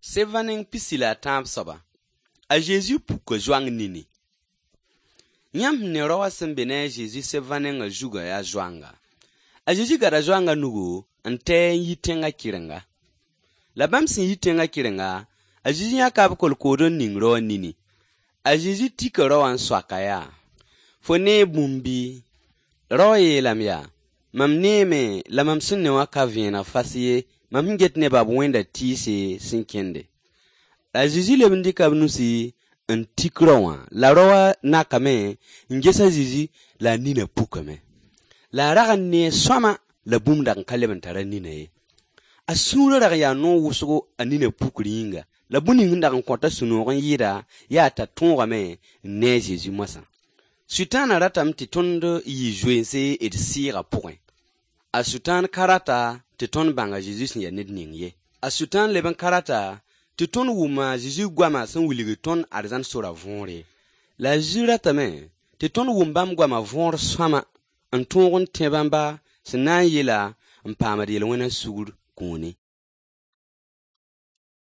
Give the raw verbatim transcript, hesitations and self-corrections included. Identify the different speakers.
Speaker 1: Sevaning pisila tam soba. A Jésus puka joang nini. Nyam ne rawa sembene Jésus sevaning a juga ya joanga. A Jésus gara joanga nugu ante yitenga kirenga. La bam sin yitenga kirenga, a Jésus ya kab kolkodo ning rawa nini. A Jésus tika rawa swakaya. Fone bumbi. Rawa ye lamya. Mam neme la mam sunne wa kaviena fasiye. Mam get ne bab wenda tise sinkende. La Jésus le bindi kabnusi un tikrawa. La rawa nakame ngesa Jésus la nina pukame. La raga ne swama la bumda nkalebantara nina ye. Asura raga ya no wusugo anina pukringa. La buni nda nkwata sunogon yira ya ta tongame ne Jésus masa. Sultan ratam ti tondo yi jouense et sira point. A sultan karata ti ton banga Jésus ya ned ning ye. A sultan leben karata ti ton wuma Jésus gwama san wiligi ton arzan sora vonre. La jura tame ti ton wumbam gwama vonre swama an tongon tebamba sinan yela an pamadi yelwena sugur kuni.